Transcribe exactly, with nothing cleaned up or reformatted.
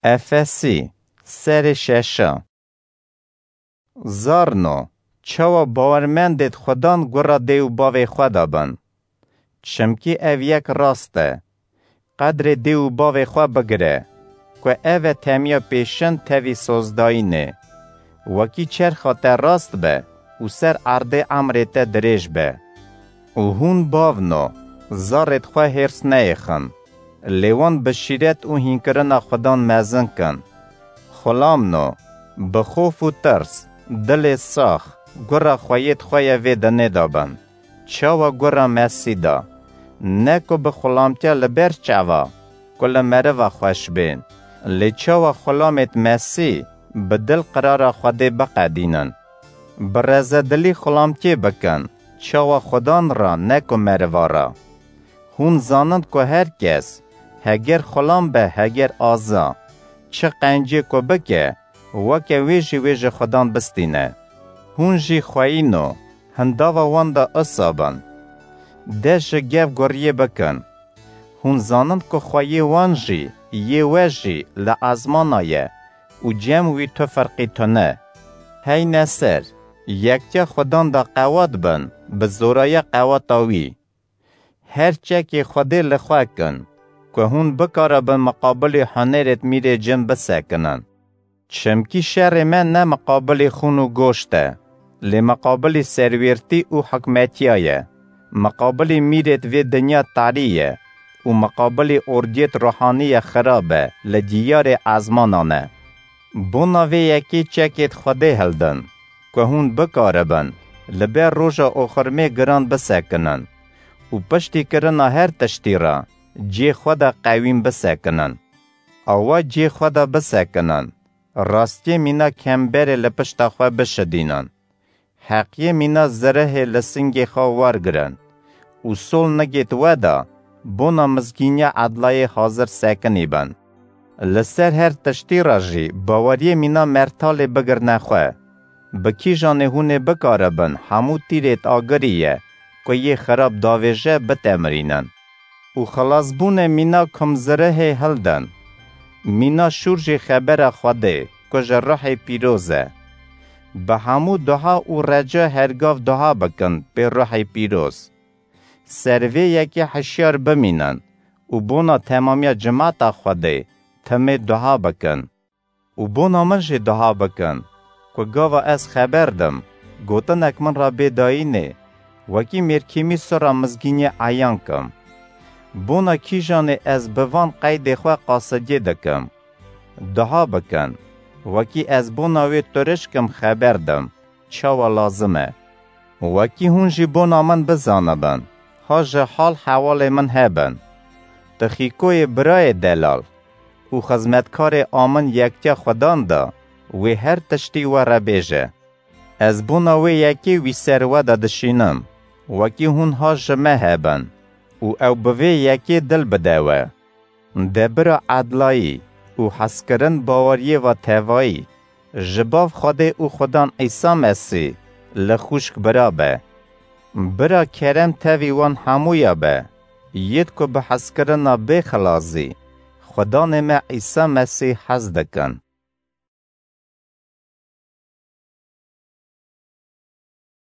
Efesî, serê şeşa. Zarno, çawa bawermendêt Xudan gura dê û bavê xwe de bin. Çimkî ev yek rast e. Qedrê dê û bavê xwe bigire, ku ev e temiya pêşin tevî sozdayînê. Wekî çerxa te rast be û ser erdê emrê te dirêj be. Û hûn bavno, zarêt xwe hêrs neyêxin, lê wan bi şîret û hînkirina Xudan mezin kin. Xulamno, bi xof û tirs, dilê sax, gura xweyêt xwe ye vê dinê de bin. Çawa gura Mesî de. Ne ku bi xulamtiya li ber çava, ku li meriva xweş bên. Lê çawa xulamêt Mesî bi dil qirara Xwedê biqedînin. Bi rezedilî xulamtiyê bikin, çawa Xudan re ne ku meriva re. Hûn zanin ku her kes, heger xulam be heger aza, çi qencê ku bike, weke wê jî wê ji Xudan bistîne. Hûn jî xweyîno, hindava wan de isa bin. De ji gev guriyê bikin. Hûn zanin ku xweyê wan jî, yê we jî li ezmana ye û cem wî tu ferqî tune. Heyne ser, yektiya Xudan de qewat bin, bi zoraya qewata wî. Her çekê Xwedê li xwe kin, ku hûn bikaribin miqabilî hunerêt mîrê cin bisekinin. Çimkî şerê me ne miqabilî xûn û goşt e, lê miqabilî serwêrtî û hikmetiya ye. Miqabilî mîrêt vê dinya tarî ye û miqabilî ordiyêt ruhanî ye xirab e li diyarê ezmanan e. Bona vê yekê çekêt Xwedê hildin, ku hûn bikaribin li ber roja oxirmê giran bisekinin û piştî kirina her tiştî re cê xwe de qewîn bisekinin. Awa cê xwe de bisekinin, rastiyê mîna kemberê li pişta xwe bişidînin. Heqiyê mîna zirihê li singê xwe wergirin û sol nigêt we de bona mizgîniya edlayê hazir sekinî bin. Li ser her tiştî re jî baweriyê mîna mertalê bigirne xwe. Bi kîjanê hûn ê bikaribin hemû tîrêt agirî ye ku yê xirab davêje bitemirînin. Û xilasbûnê mîna kumzirihê hildin. Mîna şûr jî xebera Xwedê ku ji ruhê pîroz e. Bi hemû duha û reca hergav duha bikin pê ruhê pîroz. Ser vê yekê hişyar bimînin û bona temamiya cimata Xwedê timê duha bikin. Û bona min jî duha bikin, ku gava ez xeber dim, gotinek min re bê dayînê, wekî mêrkîmî sura mizgîniyê eyan kim. Bona kîjanê ez bi van qeydê xwe qasidiyê dikim. Duha bikin, wekî ez bona wê turişkim xeber dim, çawa lazim e. Wekî hûn jî bona min bizanibin, ha ji hal hewalê min hebin. Tixîkoyê birayê delal û xizmetkarê a min yektiya Xudan de wê her tiştî we re bêje. Ez bona wê yekê wî ser we de dişînim, wekî hûn ha ji me hebin û ew bi vê yekê dil bide we. De bira edlayî û hezkirin baweriyê ve tevayî ji Bav Xwedê û Xudan Îsa Mesîh li xwişk bira be. Bira kerem tevî wan hemûya be, yêd ku bi hezkirina bê xilas zî Xudanê me Îsa Mesîh hez dikin.